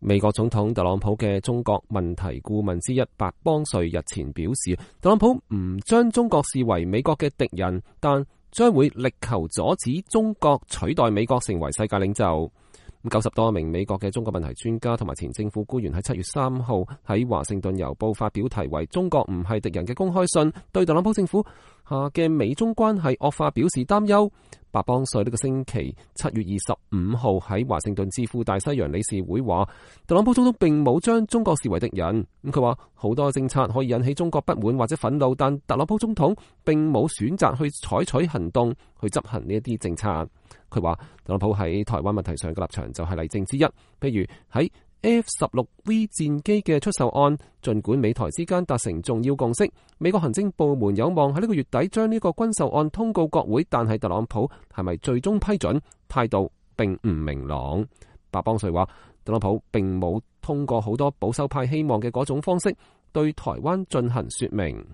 美國總統特朗普嘅中國問題顧問之一白邦瑞日前表示，特朗普唔將中國視為美國嘅敵人，但將會力求阻止中國取代美國成為世界領袖。90多名美國嘅中國問題專家同埋前政府官員喺7月3號喺華盛頓郵報發表題為《中國唔係敵人》嘅公開信，對特朗普政府下嘅美中關係惡化表示擔憂。白邦瑞呢個星期7月25號喺華盛頓智庫大西洋理事會話，特朗普總統並冇將中國視為敵人。佢話好多政策可以引起中國不滿或者憤怒，但特朗普總統並冇選擇去採取行動去執行呢一啲政策。佢話特朗普喺台灣問題上嘅立場就係例證之一，譬如喺F-16V 戰機嘅出售案，儘管美台之間達成重要共識，美國行政部門有望喺呢個月底將呢個軍售案通告國會，但係特朗普係咪最終批准，態度並唔明朗。白邦瑞話，特朗普並冇通過好多保守派希望嘅嗰種方式對台灣進行說明。